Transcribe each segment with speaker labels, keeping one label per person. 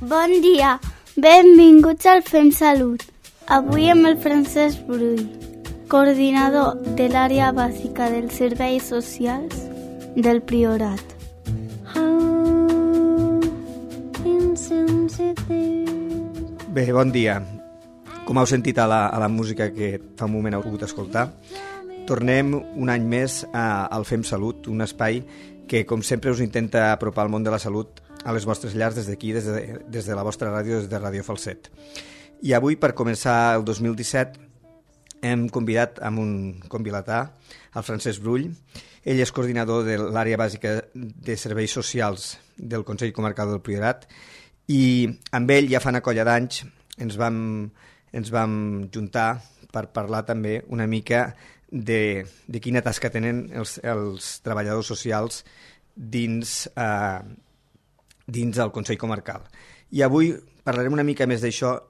Speaker 1: Bon dia, benvinguts al Fem Salut. Avui amb el Francesc Brull, coordinador de l'àrea bàsica dels serveis socials del Priorat.
Speaker 2: Bé, bon dia. Com heu sentit a la música que fa un moment heu pogut escoltar, tornem un any més al Fem Salut, un espai que, com sempre, us intenta apropar el món de la salut a les vostres llars des d'aquí, des de la vostra ràdio, des de Ràdio Falset. I avui, per començar el 2017, hem convidat amb un convilatà, el Francesc Brull. Ell és coordinador de l'àrea bàsica de serveis socials del Consell Comarcal del Priorat i amb ell ja fa una colla d'anys ens vam juntar per parlar també una mica de quina tasca tenen els treballadors socials dins el Consell Comarcal. I avui parlarem una mica més d'això,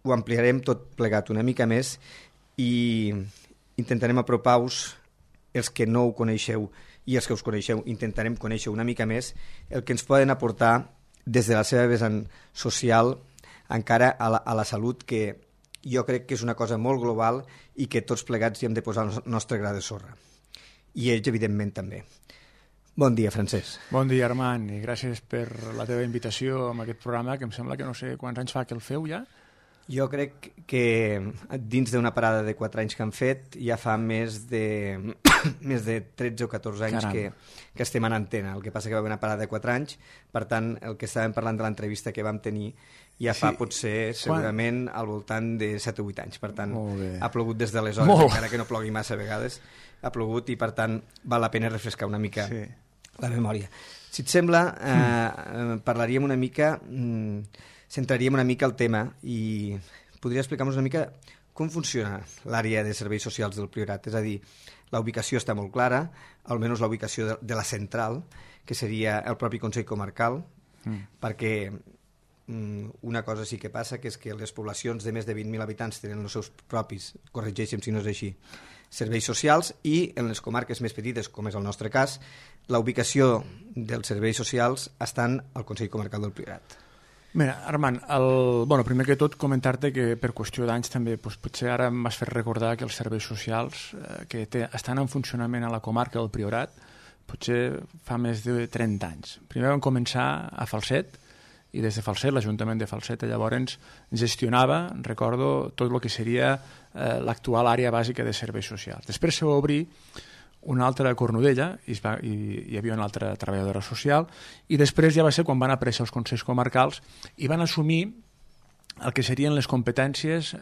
Speaker 2: ho ampliarem tot plegat una mica més i intentarem apropar-vos els que no ho coneixeu i els que us coneixeu, intentarem conèixer una mica més el que ens poden aportar des de la seva vessant social encara a la salut, que jo crec que és una cosa molt global i que tots plegats hi hem de posar el nostre gra de sorra. I ells, evidentment, també. Bon dia, Francesc.
Speaker 3: Bon dia, Armand, i gràcies per la teva invitació a aquest programa, que em sembla que no sé quants anys fa que el feu ja.
Speaker 2: Jo crec que dins d'una parada de 4 anys que han fet ja fa més de 13 o 14 anys que estem en antena. El que passa que va haver una parada de 4 anys, per tant, el que estàvem parlant de l'entrevista que vam tenir ja fa potser segurament al voltant de 7 o 8 anys. Per tant, ha plogut des d'aleshores, encara que no plogui massa a vegades, ha plogut i per tant val la pena refrescar una mica la memòria. Si et sembla, parlaríem una mica... centraríem una mica el tema i podria explicar-nos una mica com funciona l'àrea de serveis socials del Priorat. És a dir, la ubicació està molt clara, almenys la ubicació de la central, que seria el propi Consell Comarcal, perquè una cosa sí que passa, que és que les poblacions de més de 20.000 habitants tenen els seus propis, corregeixen si no és així, serveis socials, i en les comarques més petites, com és el nostre cas, la ubicació dels serveis socials estan al Consell Comarcal del Priorat.
Speaker 3: Mira, Armand, primer que tot comentar-te que per qüestió d'anys també potser ara m'has fet recordar que els serveis socials que estan en funcionament a la comarca del Priorat potser fa més de 30 anys. Primer vam començar a Falset i des de Falset, l'Ajuntament de Falset llavors gestionava, recordo, tot el que seria l'actual àrea bàsica de serveis socials. Després se va obrir una altra a Cornudella, i hi havia una altra treballadora social, i després ja va ser quan van aparèixer els consells comarcals i van assumir el que serien les competències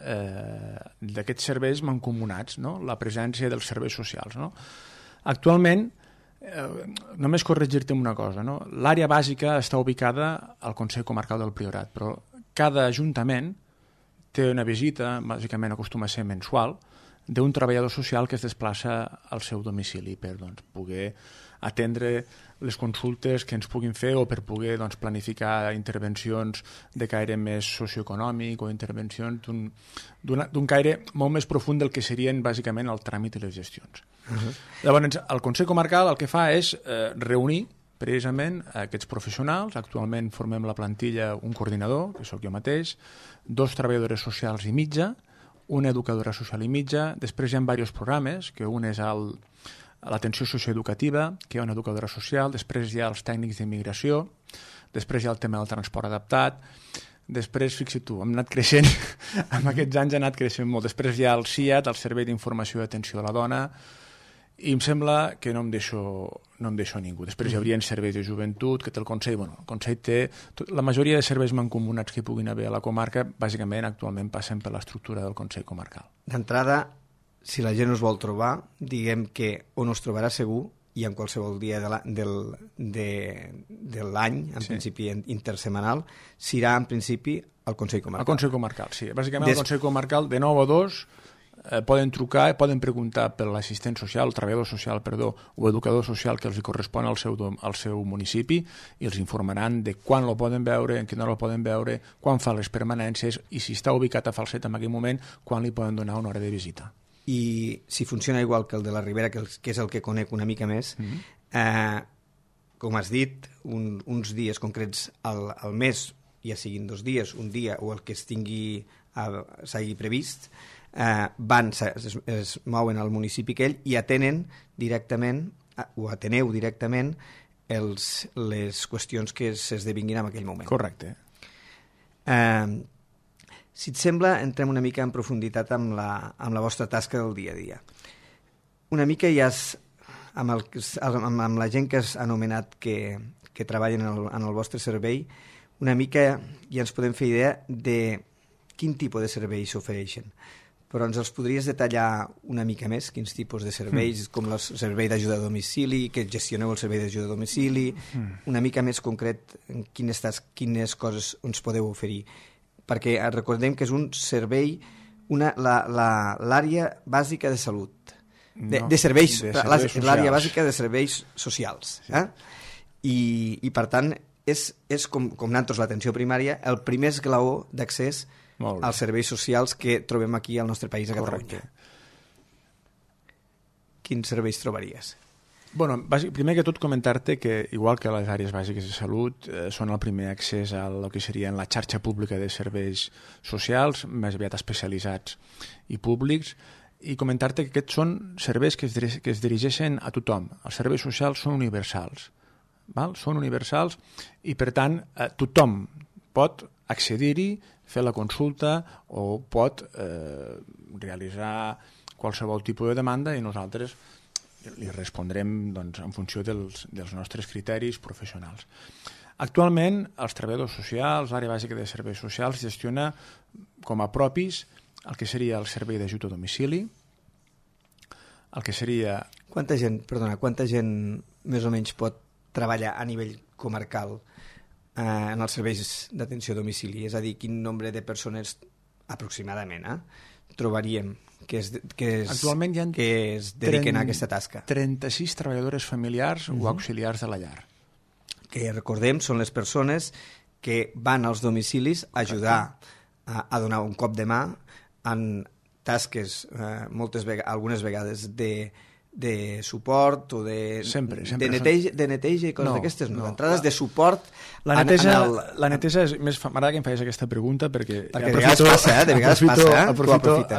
Speaker 3: d'aquests serveis mancomunats, no? La presència dels serveis socials. No? Actualment, només corregir-te una cosa, no? L'àrea bàsica està ubicada al Consell Comarcal del Priorat, però cada ajuntament té una visita, bàsicament acostuma a ser mensual, d'un treballador social que es desplaça al seu domicili per poder atendre les consultes que ens puguin fer o per poder planificar intervencions de caire més socioeconòmic o intervencions d'un caire molt més profund del que serien bàsicament el tràmit i les gestions. Llavors, el Consell Comarcal el que fa és reunir precisament aquests professionals. Actualment formem la plantilla un coordinador, que sóc jo mateix, 2 treballadores socials i mitja, una educadora social i mitja, després hi ha diversos programes, que un és l'atenció socioeducativa, que hi ha una educadora social, després hi ha els tècnics d'immigració, després hi ha el tema del transport adaptat, després, fixa't tu, hem anat creixent, en aquests anys ha anat creixent molt, després hi ha el CIAT, el Servei d'Informació i Atenció a la Dona, i em sembla que no em deixo ningú. Després hi hauria serveis de joventut, que té el Consell. El Consell té... La majoria de serveis mancomunats que hi puguin haver a la comarca, bàsicament, actualment passen per l'estructura del Consell Comarcal.
Speaker 2: D'entrada, si la gent us vol trobar, diguem que on us trobarà segur, i en qualsevol dia de l'any, en principi intersemanal, serà en principi al Consell Comarcal.
Speaker 3: Al Consell Comarcal, sí. Bàsicament, el Consell Comarcal, de 9 a 2... poden trucar, poden preguntar per l'assistent social, el treballador social, o educador social que els correspon al seu municipi i els informaran de quan lo poden veure, en quina hora lo poden veure, quan fa les permanències i si està ubicat a Falset en aquell moment, quan li poden donar una hora de visita.
Speaker 2: I si funciona igual que el de la Ribera, que és el que conec una mica més, com has dit, uns dies concrets al mes ja siguin 2 dies, un dia o el que s'hagi previst, es mouen al municipi aquell i atenen directament, o ateneu directament, les qüestions que s'esdevinguin en aquell moment.
Speaker 3: Correcte.
Speaker 2: Si et sembla, entrem una mica en profunditat amb la vostra tasca del dia a dia. Una mica ja amb la gent que has anomenat que treballen en el vostre servei, una mica ja ens podem fer idea de quin tipus de serveis s'ofereixen. Però ens els podries detallar una mica més, quins tipus de serveis, com el servei d'ajuda a domicili, que gestioneu el servei d'ajuda a domicili, una mica més concret en quines coses ens podeu oferir. Perquè recordem que és un servei, l'àrea bàsica de salut, l'àrea bàsica de serveis socials. I per tant, és com nosaltres l'atenció primària, el primer esglaó d'accés als serveis socials que trobem aquí al nostre país, a Catalunya. Quins serveis trobaries?
Speaker 3: Bueno, primer que tot comentar-te que, igual que les àrees bàsiques de salut, són el primer accés a el que seria la xarxa pública de serveis socials, més aviat especialitzats i públics, i comentar-te que aquests són serveis que es dirigeixen a tothom. Els serveis socials són universals. Són universals i, per tant, tothom pot accedir-hi, fer la consulta o pot realitzar qualsevol tipus de demanda i nosaltres li respondrem en funció dels nostres criteris professionals. Actualment, els treballadors socials, l'àrea bàsica de serveis socials, gestiona com a propis el que seria el servei d'ajut a domicili, el que seria...
Speaker 2: Quanta gent més o menys pot treballar a nivell comarcal en els serveis d'atenció a domicili? És a dir, quin nombre de persones aproximadament trobaríem que es dediquen a aquesta tasca?
Speaker 3: 36 treballadores familiars o auxiliars de la llar.
Speaker 2: Que recordem, són les persones que van als domicilis a ajudar a donar un cop de mà en tasques, algunes vegades de suport o de neteja i coses d'aquestes, d'entrades de suport.
Speaker 3: La neteja és més... M'agrada que em facis aquesta pregunta perquè
Speaker 2: de vegades passa,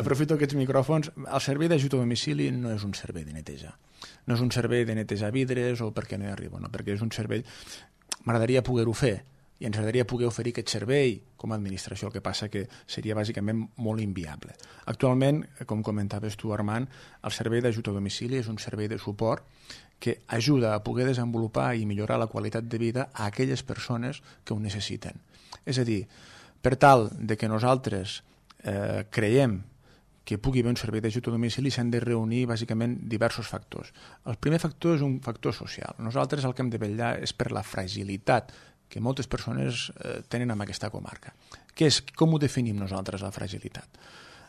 Speaker 3: aprofito aquests micròfons. El servei d'ajut a domicili no és un servei de neteja. No és un servei de netejar vidres o perquè no hi arribo, no, perquè és un servei... M'agradaria poder-ho fer i ens agradaria poder oferir aquest servei com a administració, el que passa que seria bàsicament molt inviable. Actualment, com comentaves tu, Armand, el servei d'ajut a domicili és un servei de suport que ajuda a poder desenvolupar i millorar la qualitat de vida a aquelles persones que ho necessiten. És a dir, per tal de que nosaltres creiem que pugui haver un servei d'ajut a domicili s'han de reunir bàsicament diversos factors. El primer factor és un factor social. Nosaltres el que hem de vetllar és per la fragilitat que moltes persones tenen en aquesta comarca. Com ho definim nosaltres, la fragilitat?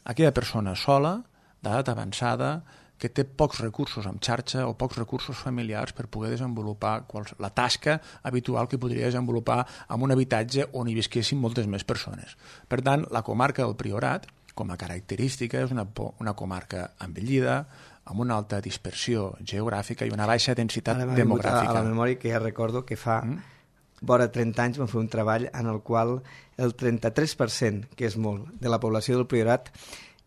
Speaker 3: Aquella persona sola, d'edat avançada, que té pocs recursos en xarxa o pocs recursos familiars per poder desenvolupar la tasca habitual que podria desenvolupar en un habitatge on hi visquessin moltes més persones. Per tant, la comarca del Priorat, com a característica, és una comarca envellida, amb una alta dispersió geogràfica i una baixa densitat demogràfica.
Speaker 2: A la memòria que ja recordo que fa vora 30 anys vam fer un treball en el qual el 33%, que és molt, de la població del Priorat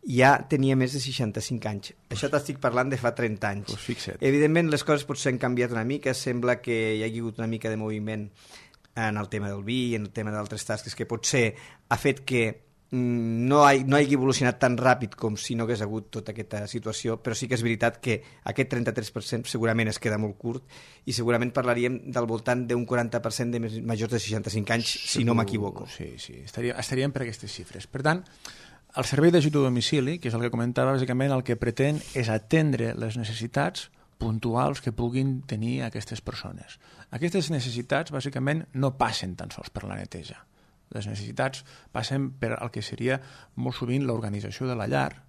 Speaker 2: ja tenia més de 65 anys. Això t'estic parlant de fa 30 anys.
Speaker 3: Pues fixa't.
Speaker 2: Evidentment les coses potser han canviat una mica, sembla que hi ha hagut una mica de moviment en el tema del vi i en el tema d'altres tasques que potser ha fet que no hagi evolucionat tan ràpid com si no hagués hagut tota aquesta situació, però sí que és veritat que aquest 33% segurament es queda molt curt i segurament parlaríem del voltant d'un 40% de majors de 65 anys, si no m'equivoco.
Speaker 3: Sí, estaríem per aquestes xifres. Per tant, el servei d'ajut a domicili, que és el que comentava, bàsicament el que pretén és atendre les necessitats puntuals que puguin tenir aquestes persones. Aquestes necessitats, bàsicament, no passen tan sols per la neteja. Les necessitats passen per el que seria molt sovint l'organització de la llar,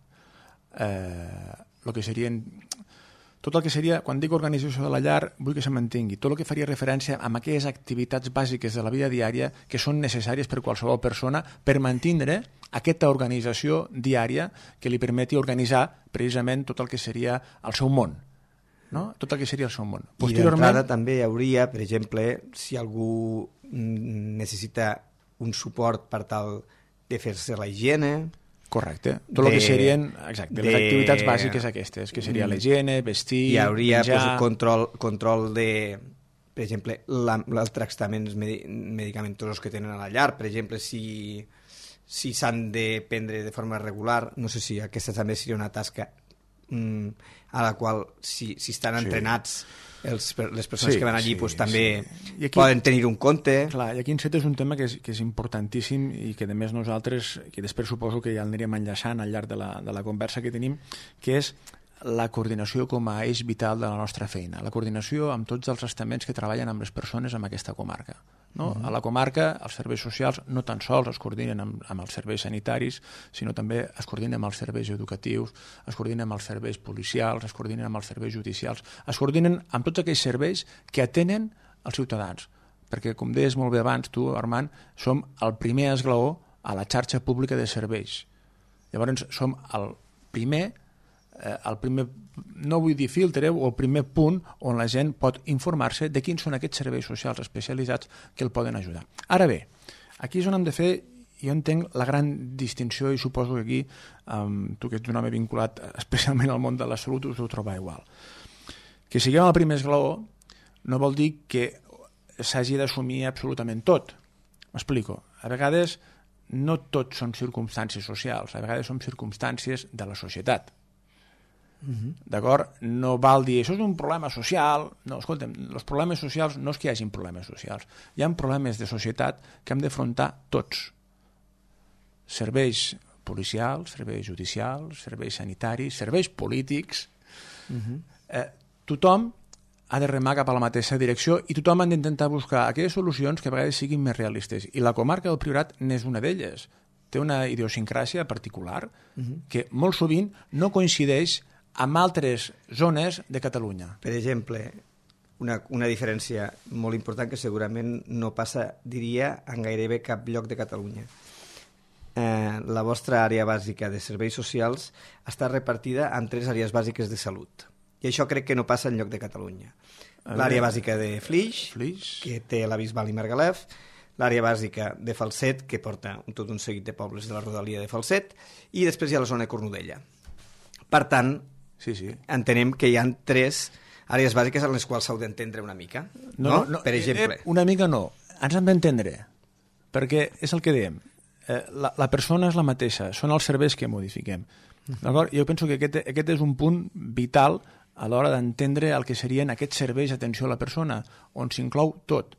Speaker 3: el que serien... Tot el que seria, quan dic organització de la llar, vull que se mantingui. Tot el que faria referència a aquelles activitats bàsiques de la vida diària que són necessàries per qualsevol persona per mantindre aquesta organització diària que li permeti organitzar precisament tot el que seria el seu món. No? Tot el que seria el seu món.
Speaker 2: I d'entrada també hi hauria, per exemple, si algú necessita un suport per tal de fer-se la higiene.
Speaker 3: Correcte. Tot el que serien les activitats bàsiques aquestes, que seria la higiene, vestir,
Speaker 2: hi hauria
Speaker 3: menjar...
Speaker 2: control de, per exemple, els tractaments medicamentosos que tenen a la llar. Per exemple, si s'han de prendre de forma regular, no sé si aquesta també seria una tasca a la qual, si estan entrenats les persones que van allí, doncs també aquí, poden tenir un compte.
Speaker 3: Clar, i aquí encet és un tema que és importantíssim i que a més nosaltres, que després suposo que ja el anirem enllaçant al llarg de la conversa que tenim, que és la coordinació com a eix vital de la nostra feina, la coordinació amb tots els estaments que treballen amb les persones en aquesta comarca. No? A la comarca els serveis socials no tan sols es coordinen amb els serveis sanitaris, sinó també es coordinen amb els serveis educatius, es coordinen amb els serveis policials, es coordinen amb els serveis judicials, es coordinen amb tots aquells serveis que atenen els ciutadans. Perquè, com deies molt bé abans, tu, Armand, som el primer esglaó a la xarxa pública de serveis. Llavors, som el primer, no vull dir filtre, o el primer punt on la gent pot informar-se de quins són aquests serveis socials especialitzats que el poden ajudar. Ara bé, aquí és on hem de fer, jo entenc la gran distinció, i suposo que aquí tu, que ets un home vinculat especialment al món de la salut, us ho trobar igual. Que siguem el primer esglaó no vol dir que s'hagi d'assumir absolutament tot. M'explico. A vegades no tot són circumstàncies socials, a vegades són circumstàncies de la societat. D'acord? No val dir això és un problema social. No, escolta'm, els problemes socials no és que hi hagin problemes socials, hi ha problemes de societat que hem d'afrontar tots: serveis policials, serveis judicials, serveis sanitaris, serveis polítics. Tothom ha de remar cap a la mateixa direcció i tothom ha d'intentar buscar aquelles solucions que a vegades siguin més realistes, i la comarca del Priorat n'és una d'elles. Té una idiosincràsia particular que molt sovint no coincideix amb altres zones de Catalunya.
Speaker 2: Per exemple, una diferència molt important que segurament no passa, diria, en gairebé cap lloc de Catalunya. La vostra àrea bàsica de serveis socials està repartida en 3 àrees bàsiques de salut. I això crec que no passa en lloc de Catalunya. L'àrea bàsica de Flix, que té la Bisbal i Margalef, l'àrea bàsica de Falset, que porta tot un seguit de pobles de la rodalia de Falset, i després hi ha la zona de Cornudella. Per tant, entenem que hi ha 3 àrees bàsiques en les quals s'heu d'entendre una mica. No, per exemple.
Speaker 3: Una mica no, ens hem d'entendre, perquè és el que dèiem, la persona és la mateixa, són els serveis que modifiquem. Jo penso que aquest és un punt vital a l'hora d'entendre el que serien aquests serveis d'atenció a la persona, on s'inclou tot.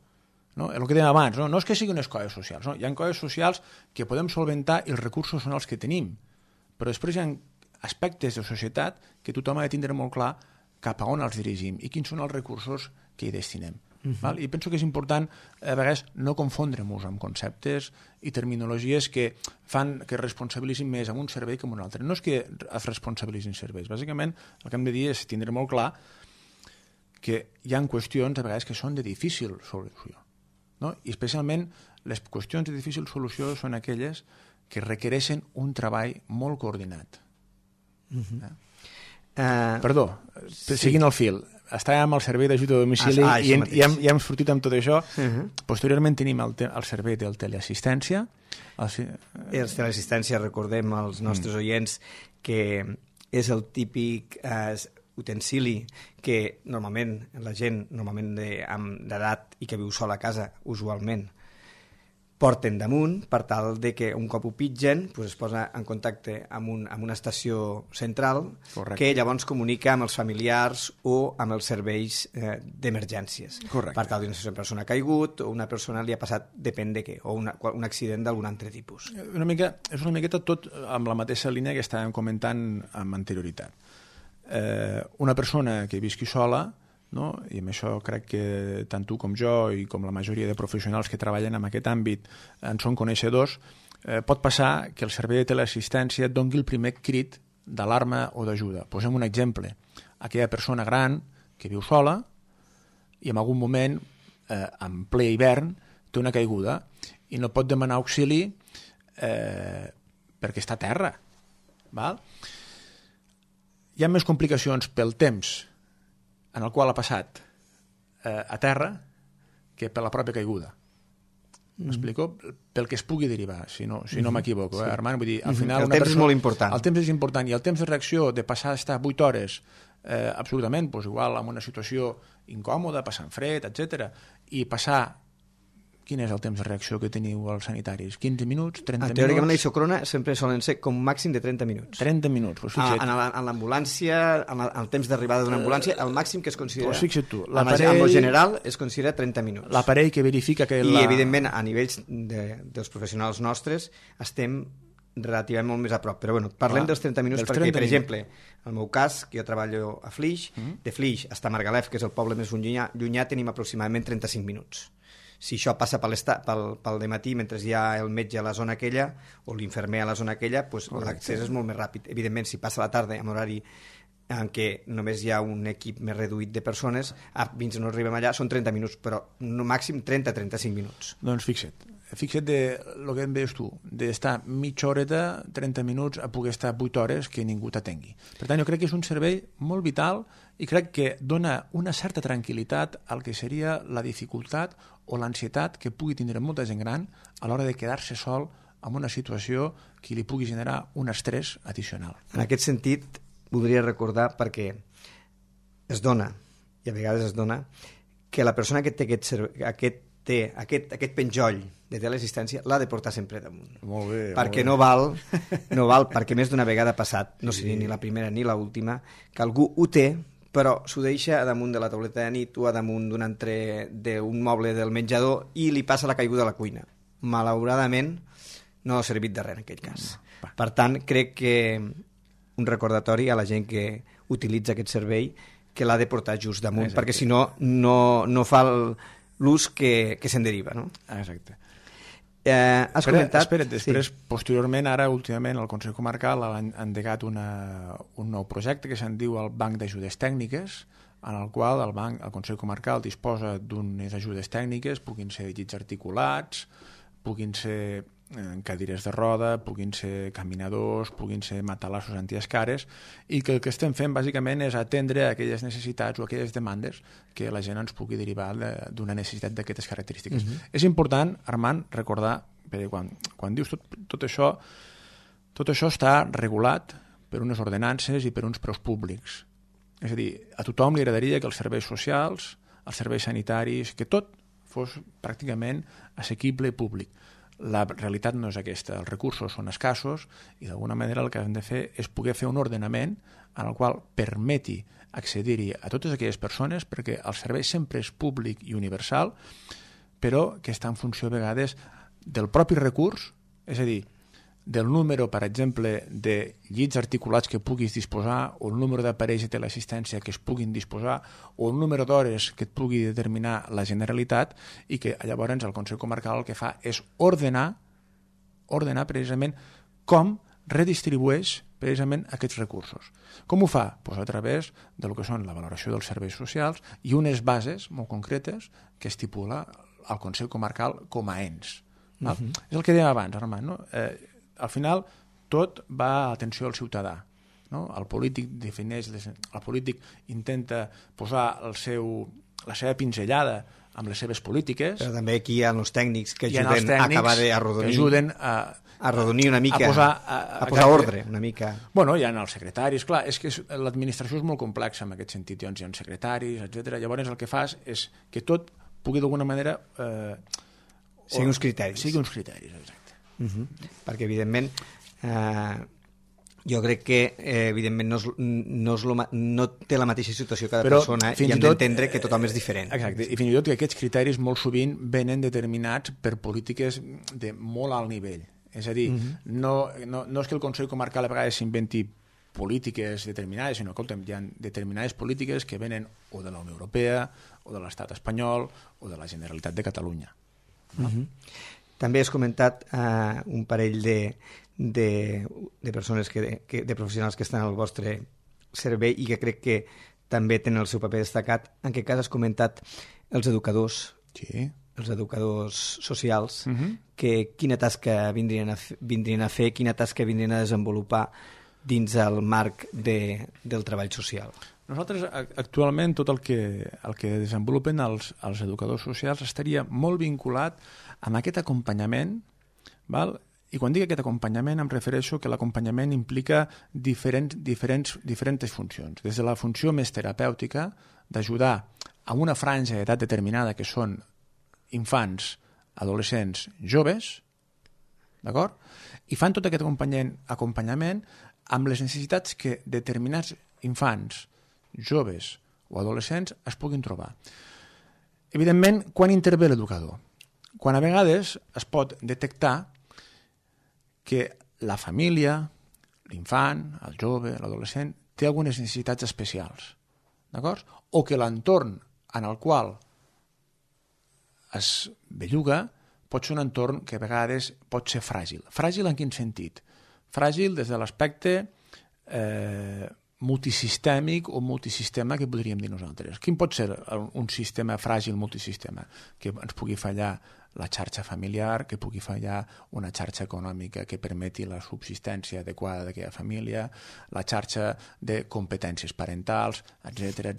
Speaker 3: El que dèiem abans, no és que siguin unes coses socials, hi ha coses socials que podem solventar i els recursos són els que tenim, però després hi ha aspectes de societat que tothom ha de tindre molt clar cap a on els dirigim i quins són els recursos que hi destinem. I penso que és important a vegades no confondre-nos amb conceptes i terminologies que fan que responsabilitzin més amb un servei que amb un altre. No és que es responsabilitzin serveis, bàsicament el que hem de dir és tindre molt clar que hi ha qüestions a vegades que són de difícil solució, i especialment les qüestions de difícil solució són aquelles que requereixen un treball molt coordinat. Perdó, seguint el fil, estàvem amb el servei d'ajuda a domicili i hem sortit amb tot això. Posteriorment tenim el servei del teleassistència.
Speaker 2: El teleassistència, recordem als nostres oients que és el típic utensili que normalment la gent d'edat i que viu sola a casa usualment porten damunt per tal de que un cop ho pitgen es posa en contacte amb una estació central que llavors comunica amb els familiars o amb els serveis d'emergències. Per tal de si una persona ha caigut o una persona li ha passat depèn de què, o un accident d'algun altre tipus.
Speaker 3: És una miqueta tot amb la mateixa línia que estàvem comentant amb anterioritat. Una persona que visqui sola, i amb això crec que tant tu com jo i com la majoria de professionals que treballen en aquest àmbit en són coneixedors, pot passar que el servei de teleassistència doni el primer crit d'alarma o d'ajuda. Posem un exemple: aquella persona gran que viu sola i en algun moment, en ple hivern, té una caiguda i no pot demanar auxili perquè està a terra. Hi ha més complicacions pel temps en el qual ha passat a terra que per la pròpia caiguda. m'explico? Pel que es pugui derivar, si no m'equivoco, Armand? Vull dir, al final
Speaker 2: el temps és molt important.
Speaker 3: El temps és important, i el temps de reacció de passar a estar 8 hores absolutament, doncs igual en una situació incòmoda, passant fred, etc. I passar... Quin és el temps de reacció que teniu als sanitaris? 15 minuts? 30 minuts?
Speaker 2: Teòricament la isocrona sempre solen ser com màxim de 30 minuts.
Speaker 3: 30 minuts, doncs fixa't.
Speaker 2: En l'ambulància, en el temps d'arribada d'una ambulància, el màxim que es considera...
Speaker 3: Doncs fixa't tu.
Speaker 2: En el general es considera 30 minuts.
Speaker 3: L'aparell que verifica que...
Speaker 2: I, evidentment, a nivells dels professionals nostres, estem relativament molt més a prop. Però, bueno, parlem dels 30 minuts perquè, per exemple, en el meu cas, que jo treballo a Flix, de Flix fins a Margalef, que és el poble més llunyà, tenim aproximadament 35 minuts. Si això passa pel dematí mentre hi ha el metge a la zona aquella o l'infermer a la zona aquella, doncs l'accés és molt més ràpid. Evidentment, si passa la tarda en horari en què només hi ha un equip més reduït de persones, fins no arribem allà són 30 minuts, però no màxim 30-35 minuts.
Speaker 3: Doncs fixa't de el que em deies tu, d'estar mitja horeta, 30 minuts, a poder estar 8 hores que ningú t'atengui. Per tant, jo crec que és un servei molt vital i crec que dona una certa tranquil·litat al que seria la dificultat o l'ansietat que pugui tindre molta gent gran a l'hora de quedar-se sol en una situació que li pugui generar un estrès addicional.
Speaker 2: En aquest sentit, voldria recordar, perquè es dona, i a vegades es dona, que la persona que té aquest penjoll de teleassistència l'ha de portar sempre damunt.
Speaker 3: Molt bé.
Speaker 2: Perquè no val, perquè més d'una vegada ha passat, no seria ni la primera ni l'última, que algú ho té, però s'ho deixa damunt de la tauleta de nit o a damunt d'un moble del menjador i li passa la caiguda a la cuina. Malauradament, no ha servit de res en aquell cas. Per tant, crec que un recordatori a la gent que utilitza aquest servei que l'ha de portar just damunt, perquè si no, no fa l'ús que se'n deriva. No?
Speaker 3: Exacte.
Speaker 2: Has comentat...
Speaker 3: Espera't, després, posteriorment, ara, últimament, el Consell Comarcal ha endegat un nou projecte que se'n diu el Banc d'Ajudes Tècniques, en el qual el Consell Comarcal disposa d'unes ajudes tècniques, puguin ser llits articulats, puguin ser cadires de roda, puguin ser caminadors, puguin ser matalassos antiescares, i que el que estem fent bàsicament és atendre aquelles necessitats o aquelles demandes que la gent ens pugui derivar d'una necessitat d'aquestes característiques. És important, Armand, recordar, perquè quan dius tot això està regulat per unes ordenances i per uns preus públics. És a dir, a tothom li agradaria que els serveis socials, els serveis sanitaris, que tot fos pràcticament assequible i públic. La realitat no és aquesta, els recursos són escassos i d'alguna manera el que hem de fer és poder fer un ordenament en el qual permeti accedir-hi a totes aquelles persones, perquè el servei sempre és públic i universal, però que està en funció a vegades del propi recurs, és a dir, del número, per exemple, de llits articulats que puguis disposar, o el número d'aparells de teleassistència que es puguin disposar, o el número d'hores que et pugui determinar la Generalitat, i que llavors el Consell Comarcal el que fa és ordenar precisament com redistribueix precisament aquests recursos. Com ho fa? Pues a través del que són la valoració dels serveis socials i unes bases molt concretes que estipula el Consell Comarcal com a ens. És el que dèiem abans, Armand, no? Al final, tot va a atenció al ciutadà. No? El polític intenta posar la seva pinzellada amb les seves polítiques.
Speaker 2: Però també aquí hi ha els tècnics que ajuden a acabar d'arrodonir. Arrodonir una mica, a posar ordre una mica.
Speaker 3: Bueno, hi ha els secretaris, clar, és que l'administració és molt complexa en aquest sentit, hi ha secretaris, etc. Llavors el que fas és que tot pugui d'alguna manera...
Speaker 2: Sigui uns criteris.
Speaker 3: Sigui uns criteris, exacte.
Speaker 2: Perquè evidentment jo crec que evidentment no té la mateixa situació cada persona i hem d'entendre que tothom és diferent.
Speaker 3: Exacte, i fins i tot que aquests criteris molt sovint venen determinats per polítiques de molt alt nivell. És a dir, no és que el Consell Comarcal a vegades s'inventi polítiques determinades, sinó que hi ha determinades polítiques que venen o de la Unió Europea o de l'Estat espanyol o de la Generalitat de Catalunya.
Speaker 2: També has comentat un parell de persones, de professionals que estan al vostre servei i que crec que també tenen el seu paper destacat. En aquest cas has comentat els educadors, els educadors socials, que quina tasca vindrien a fer, quina tasca vindrien a desenvolupar dins el marc del treball social.
Speaker 3: Nosaltres, actualment, tot el que desenvolupen els educadors socials estaria molt vinculat amb aquest acompanyament, val? I quan dic aquest acompanyament em refereixo que l'acompanyament implica diferents funcions, des de la funció més terapèutica, d'ajudar a una franja d'edat determinada que són infants, adolescents, joves, d'acord? I fan tot aquest acompanyament amb les necessitats que determinats infants, joves o adolescents es puguin trobar. Evidentment, quan intervé l'educador? Quan a vegades es pot detectar que la família, l'infant, el jove, l'adolescent, té algunes necessitats especials, d'acord? O que l'entorn en el qual es belluga pot ser un entorn que a vegades pot ser fràgil. Fràgil en quin sentit? Fràgil des de l'aspecte multisistèmic o multisistema que podríem dir nosaltres. Quin pot ser un sistema fràgil multisistema? Que ens pugui fallar la xarxa familiar, que pugui fallar una xarxa econòmica que permeti la subsistència adequada d'aquella família, la xarxa de competències parentals, etc.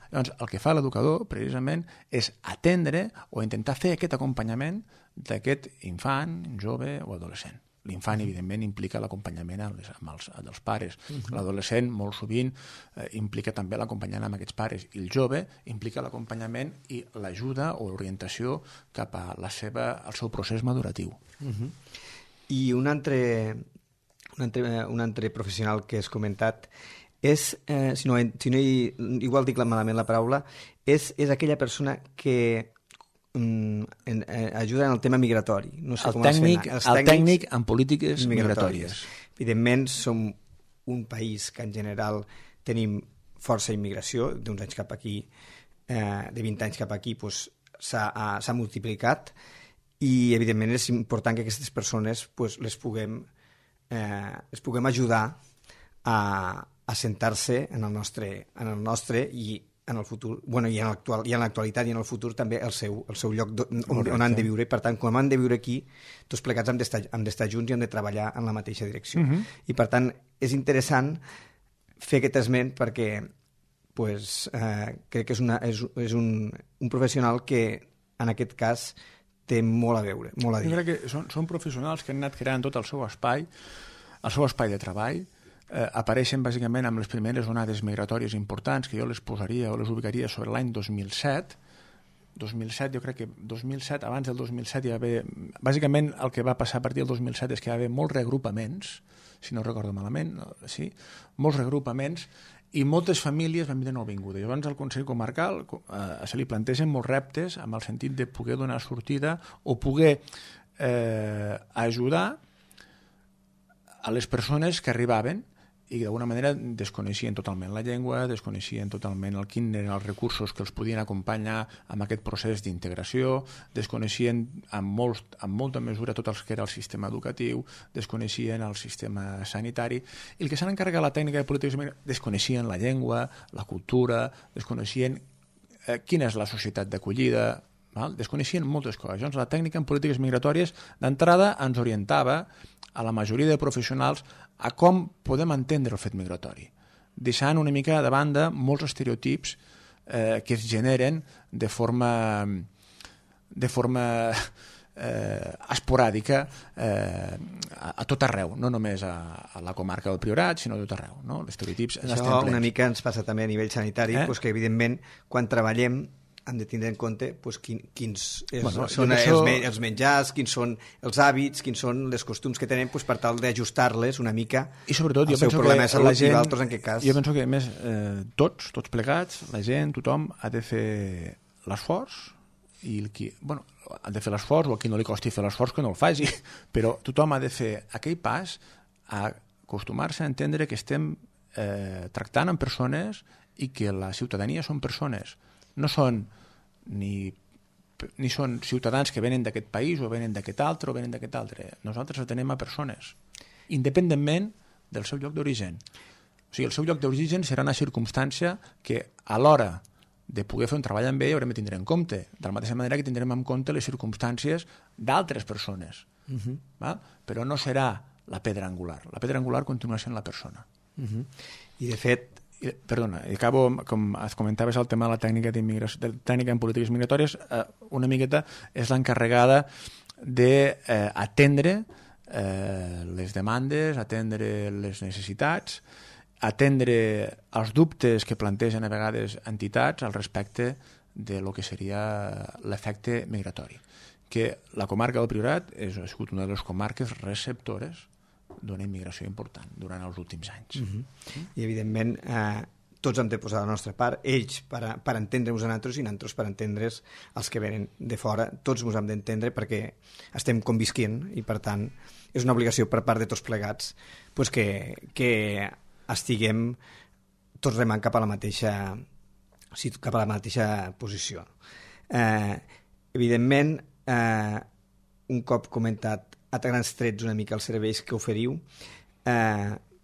Speaker 3: Llavors, el que fa l'educador, precisament, és atendre o intentar fer aquest acompanyament d'aquest infant, jove o adolescent. L'infant, evidentment, implica l'acompanyament dels pares. L'adolescent, molt sovint, implica també l'acompanyament amb aquests pares. I el jove implica l'acompanyament i l'ajuda o l'orientació cap al seu procés maduratiu.
Speaker 2: I un altre professional que has comentat és, igual dic malament la paraula, és aquella persona que ajuda en el tema migratori. No sé
Speaker 3: el tècnic en polítiques migratòries.
Speaker 2: Evidentment, som un país que en general tenim força immigració, d'uns anys cap aquí, de 20 anys cap aquí, s'ha multiplicat i, evidentment, és important que aquestes persones les puguem ajudar a assentar-se en el nostre i en el futur, i en l'actualitat i en el futur també el seu lloc on han de viure. Per tant, quan han de viure aquí, tots plegats han d'estar junts i han de treballar en la mateixa direcció. I per tant, és interessant fer aquest esment perquè crec que és un professional que en aquest cas té molt a veure, molt a dir.
Speaker 3: Jo crec que són professionals que han anat creant tot el seu espai de treball. Apareixen bàsicament amb les primeres onades migratòries importants, que jo les posaria o les ubicaria sobre l'any 2007. Jo crec que 2007, abans del 2007 hi va haver... Bàsicament el que va passar a partir del 2007 és que hi va haver molts reagrupaments, si no recordo malament, sí, molts reagrupaments, i moltes famílies van vindre nouvingudes. Llavors al Consell Comarcal se li plantegen molts reptes amb el sentit de poder donar sortida o poder ajudar a les persones que arribaven i d'alguna manera desconeixien totalment la llengua, desconeixien totalment quins eren els recursos que els podien acompanyar amb aquest procés d'integració, desconeixien en molta mesura tot el que era el sistema educatiu, desconeixien el sistema sanitari, i el que s'han encarregat la tècnica de polítiques migratòries, desconeixien la llengua, la cultura, desconeixien quina és la societat d'acollida, desconeixien moltes coses. Llavors la tècnica en polítiques migratòries d'entrada ens orientava a la majoria de professionals a com podem entendre el fet migratori, deixant una mica de banda molts estereotips que es generen de forma esporàdica a tot arreu, no només a la comarca del Priorat, sinó a tot arreu. No? Els estereotips
Speaker 2: això una mica ens passa també a nivell sanitari, que evidentment quan treballem hem de tindre en compte quins són els menjars, quins són els hàbits, quins són les costums que tenen per tal d'ajustar-les una mica al seu problema de salut i d'altres en aquest cas.
Speaker 3: Jo penso que, a més, tots plegats, la gent, tothom ha de fer l'esforç i ha de fer l'esforç, o a qui no li costi fer l'esforç que no el faci, però tothom ha de fer aquell pas a acostumar-se a entendre que estem tractant amb persones i que la ciutadania són persones. No són ni són ciutadans que venen d'aquest país o venen d'aquest altre o venen d'aquest altre. Nosaltres atenem a persones, independentment del seu lloc d'origen. O sigui, el seu lloc d'origen serà una circumstància que a l'hora de poder fer un treball amb ell haurem de tindre en compte, de la mateixa manera que tindrem en compte les circumstàncies d'altres persones. Però no serà la pedra angular. La pedra angular continua sent la persona.
Speaker 2: I de fet,
Speaker 3: Perdona, i acabo, com es comentaves, el tema de la tècnica tècnica en polítiques migratòries, una miqueta és l'encarregada d'atendre les demandes, atendre les necessitats, atendre els dubtes que plantegen a vegades entitats al respecte de lo que seria l'efecte migratori. Que la comarca del Priorat ha sigut una de les comarques receptores d'una immigració important durant els últims anys.
Speaker 2: I, evidentment, tots hem de posar la nostra part, ells per entendre-nos a nosaltres i nosaltres per entendre's els que venen de fora. Tots ens hem d'entendre perquè estem convisquint i, per tant, és una obligació per part de tots plegats que estiguem tots remant cap a la mateixa posició. Evidentment, un cop comentat a grans trets una mica els serveis que oferiu,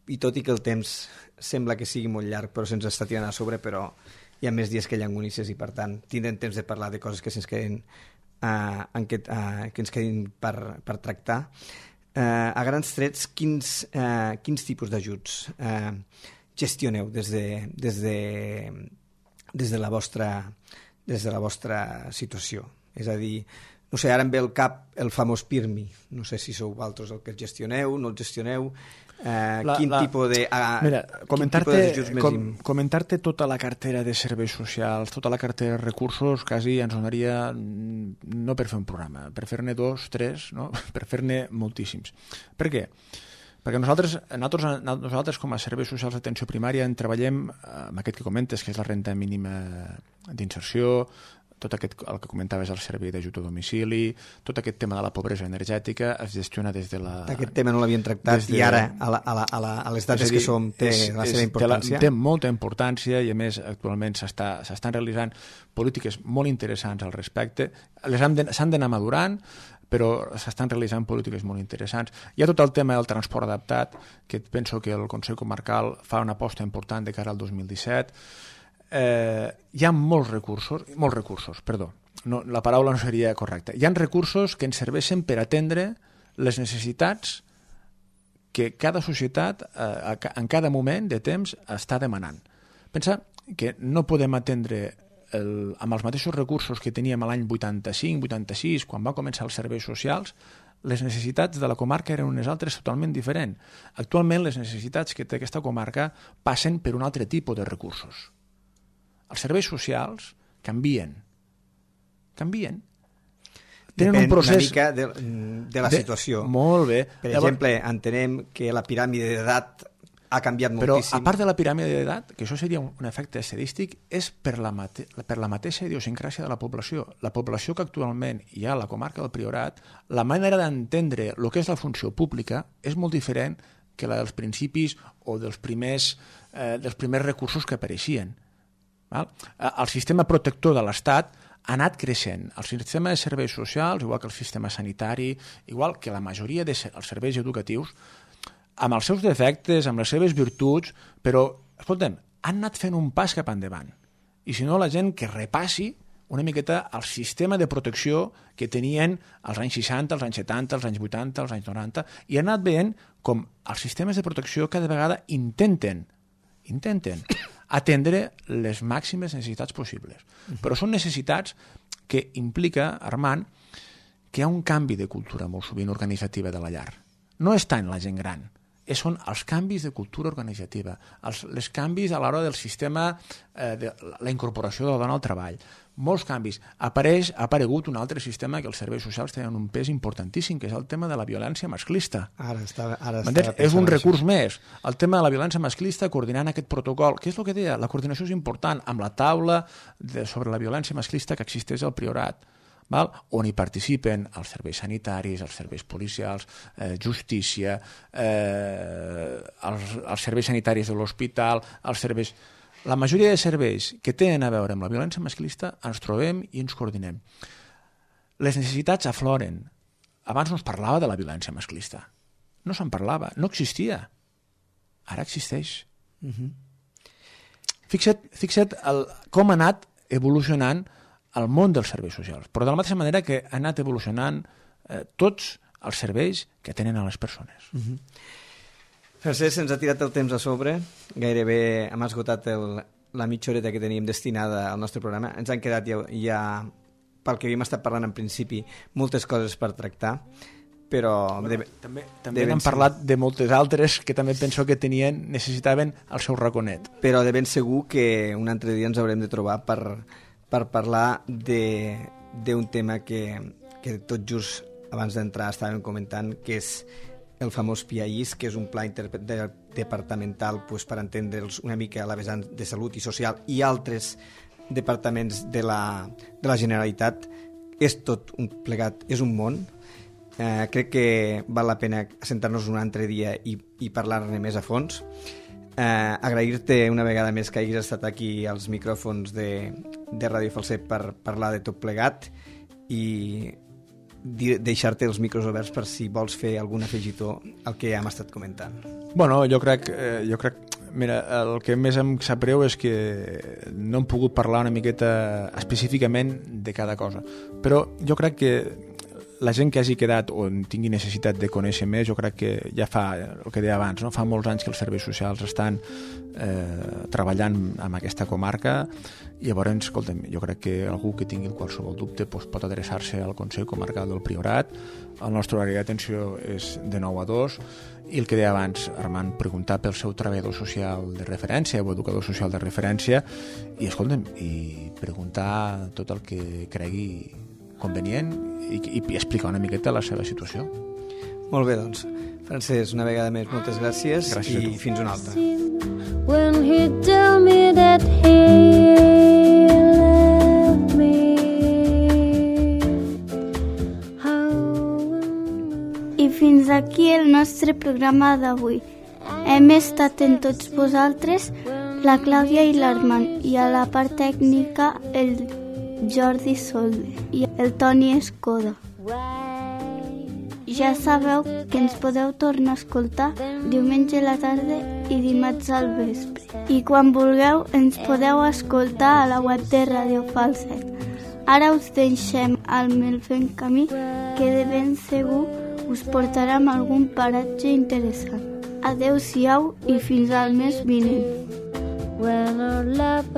Speaker 2: i tot i que el temps sembla que sigui molt llarg, però se'ns està tirant a sobre, però hi ha més dies que llangonisses i, per tant, tindrem temps de parlar de coses que se'ns quedin que ens quedin per tractar. A grans trets, quins tipus d'ajuts gestioneu des de la vostra situació? És a dir, no sé, ara em ve al cap el famós PIRMI. No sé si sou vosaltres el que el gestioneu, no el gestioneu. Quin tipus
Speaker 3: Comentar-te tota la cartera de serveis socials, tota la cartera de recursos, quasi ens donaria, no per fer un programa, per fer-ne 2, 3, no? Per fer-ne moltíssims. Per què? Perquè nosaltres com a serveis socials d'atenció primària en treballem amb aquest que comentes, que és la renda mínima d'inserció, tot aquest, el que comentaves, el servei d'ajut a domicili, tot aquest tema de la pobresa energètica es gestiona des de la...
Speaker 2: Aquest tema no l'havien tractat i ara, a les dates que som, té la seva importància.
Speaker 3: Té molta importància i, a més, actualment s'estan realitzant polítiques molt interessants al respecte. S'han d'anar madurant, però s'estan realitzant polítiques molt interessants. Hi ha tot el tema del transport adaptat, que penso que el Consell Comarcal fa una aposta important de cara al 2017. Hi ha molts recursos, la paraula no seria correcta. Hi ha recursos que ens serveixen per atendre les necessitats que cada societat en cada moment de temps està demanant. Pensa que no podem atendre amb els mateixos recursos que teníem l'any 85-86, quan van començar els serveis socials. Les necessitats de la comarca eren unes altres totalment diferents. Actualment les necessitats que té aquesta comarca passen per un altre tipus de recursos. Els serveis socials canvien.
Speaker 2: Tenen un procés... Depèn una mica de la situació.
Speaker 3: Molt bé.
Speaker 2: Per exemple, entenem que la piràmide d'edat ha canviat moltíssim.
Speaker 3: Però, a part de la piràmide d'edat, que això seria un efecte estadístic, és per la mateixa idiosincràsia de la població. La població que actualment hi ha a la comarca del Priorat, la manera d'entendre el que és la funció pública és molt diferent que la dels principis o dels primers recursos que apareixien. El sistema protector de l'Estat ha anat creixent. El sistema de serveis socials, igual que el sistema sanitari, igual que la majoria dels serveis educatius, amb els seus defectes, amb les seves virtuts, però, escolta'm, han anat fent un pas cap endavant. I si no, la gent que repassi una miqueta el sistema de protecció que tenien als anys 60, als anys 70, als anys 80, als anys 90, i han anat veient com els sistemes de protecció cada vegada intenten atendre les màximes necessitats possibles. Però són necessitats que implica, Armand, que hi ha un canvi de cultura molt sovint organitzativa de la llar. No és tant la gent gran, són els canvis de cultura organitzativa, els canvis a l'hora del sistema, de la incorporació de la dona al treball. Molts canvis. Ha aparegut un altre sistema que els serveis socials tenen un pes importantíssim, que és el tema de la violència masclista. És un recurs més. El tema de la violència masclista, coordinant aquest protocol, que és el que deia, la coordinació és important, amb la taula sobre la violència masclista que existeix al Priorat, on hi participen els serveis sanitaris, els serveis policials, justícia, els serveis sanitaris de l'hospital, els serveis... La majoria de serveis que tenen a veure amb la violència masclista ens trobem i ens coordinem. Les necessitats afloren. Abans no es parlava de la violència masclista. No se'n parlava, no existia. Ara existeix. Fixa't com ha anat evolucionant el món dels serveis socials, però de la mateixa manera que ha anat evolucionant tots els serveis que tenen a les persones.
Speaker 2: Francesc, ens ha tirat el temps a sobre. Gairebé hem esgotat la mitja horeta que teníem destinada al nostre programa. Ens han quedat ja pel que havíem estat parlant en principi, moltes coses per tractar, però...
Speaker 3: També n'hem parlat de moltes altres que també penso que necessitaven el seu raconet.
Speaker 2: Però de ben segur que un altre dia ens haurem de trobar per parlar d'un tema que tot just abans d'entrar estàvem comentant, que és el famós PIAIS, que és un pla interdepartamental per entendre'ls una mica a la vessant de salut i social i altres departaments de la Generalitat. És tot un plegat, és un món. Crec que val la pena assentar-nos un altre dia i parlar-ne més a fons. Agrair-te una vegada més que hagis estat aquí als micròfons de Ràdio Falset per parlar de tot plegat i deixar-te els micros oberts per si vols fer algun afegitó al que ja hem estat comentant.
Speaker 3: Bueno, jo crec mira, el que més em sap greu és que no hem pogut parlar una miqueta específicament de cada cosa, però jo crec que la gent que hagi quedat o tingui necessitat de conèixer més, jo crec que ja fa el que deia abans, no? Fa molts anys que els serveis socials estan treballant en aquesta comarca i llavors, escolta'm, jo crec que algú que tingui qualsevol dubte pot adreçar-se al Consell Comarcal del Priorat. El nostre horari d'atenció és de 9 a 2 i el que deia abans, Armand, preguntar pel seu treballador social de referència o educador social de referència i, escolta'm, i preguntar tot el que cregui convenient i explicar una miqueta la seva situació.
Speaker 2: Molt bé, doncs. Francesc, una vegada més, moltes gràcies i fins una altra.
Speaker 4: When he told me that he left me.
Speaker 1: I fins aquí el nostre programa d'avui. Hem estat en tots vosaltres, la Clàudia i l'Armand, i a la part tècnica el Jordi Solde i el Toni Escoda. Ja sabeu que ens podeu tornar a escoltar diumenge a la tarda i dimarts al vespre. I quan vulgueu ens podeu escoltar a la web de Ràdio Falset. Ara us deixem al meu fent camí que de ben segur us portarà a algun paratge interessant. Adeu-siau i fins al mes vinent.
Speaker 4: When our love